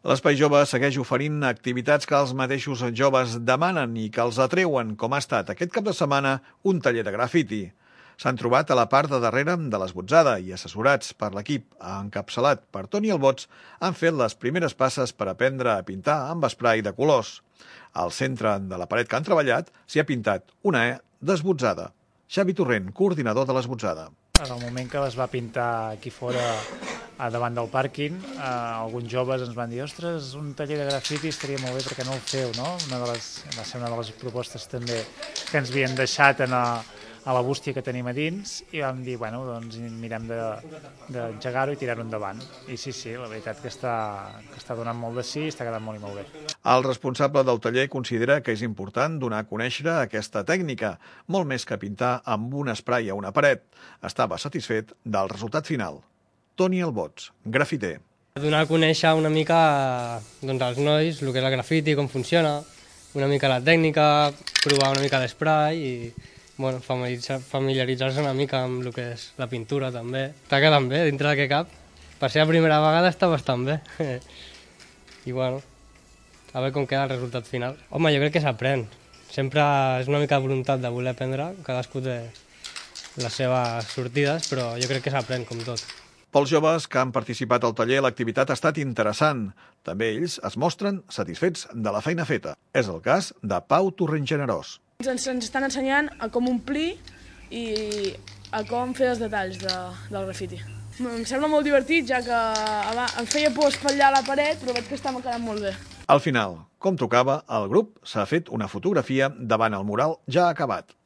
L'Espai Jove segueix oferint activitats que els mateixos joves demanen i que els atreuen, com ha estat aquest cap de setmana un taller de grafiti. S'han trobat a la part de darrere de l'Esbotzada i, assessorats per l'equip encapçalat per Toni Albots, han fet les primeres passes per aprendre a pintar amb esprai de colors. Al centre de la paret que han treballat s'hi ha pintat una E d'Esbotzada. Xavi Torrent, coordinador de l'Esbotzada. En el moment que es va pintar aquí fora, davant del pàrquing, alguns joves ens van dir «Ostres, un taller de grafiti estaria molt bé, perquè no el feu?», no? Va ser una de les propostes també que ens havien deixat a la bústia que tenim a dins i vam dir, bueno, doncs mirem d'engegar-ho i tirar-ho endavant. I sí, la veritat que està donant molt de sí i està quedant molt i molt bé. El responsable del taller considera que és important donar a conèixer aquesta tècnica, molt més que pintar amb un esprai a una paret. Estava satisfet del resultat final. Toni Albots, grafiter. Donar a conèixer una mica als nois el que és el grafiti, com funciona, una mica la tècnica, provar una mica l'esprai i familiaritzar-se una mica amb el que és la pintura també. Està quedant bé, dintre del que cap. Per ser la primera vegada està bastant bé. I a veure com queda el resultat final. Home, jo crec que s'aprèn. Sempre és una mica de voluntat de voler aprendre, cadascú té les seves sortides, però jo crec que s'aprèn com tot. Pels joves que han participat al taller, l'activitat ha estat interessant. També ells es mostren satisfets de la feina feta. És el cas de Pau Torrent-Generós. Ens estan ensenyant a com omplir i a com fer els detalls del grafiti. Em sembla molt divertit, ja que em feia por espatllar la paret, però veig que està quedant molt bé. Al final, com tocava, el grup s'ha fet una fotografia davant el mural ja acabat.